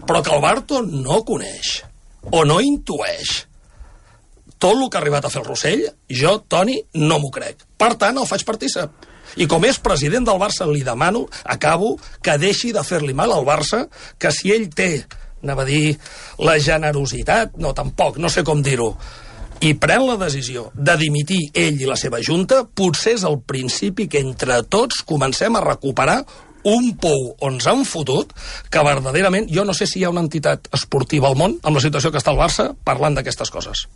però que el Barto no coneix o no intueix tot el que ha arribat a fer el Rossell, jo, Toni, no m'ho crec. Per tant, el faig partícip. I com és president del Barça, li demano, acabo, que deixi de fer-li mal al Barça, que si ell té, anava a dir, la generositat, no, tampoc, no sé com dir-ho, i pren la decisió de dimitir ell i la seva junta, potser és el principi que entre tots comencem a recuperar un pou on ens han fotut, que verdaderament jo no sé si hi ha una entitat esportiva al món, amb la situació que està el Barça, parlant d'aquestes coses.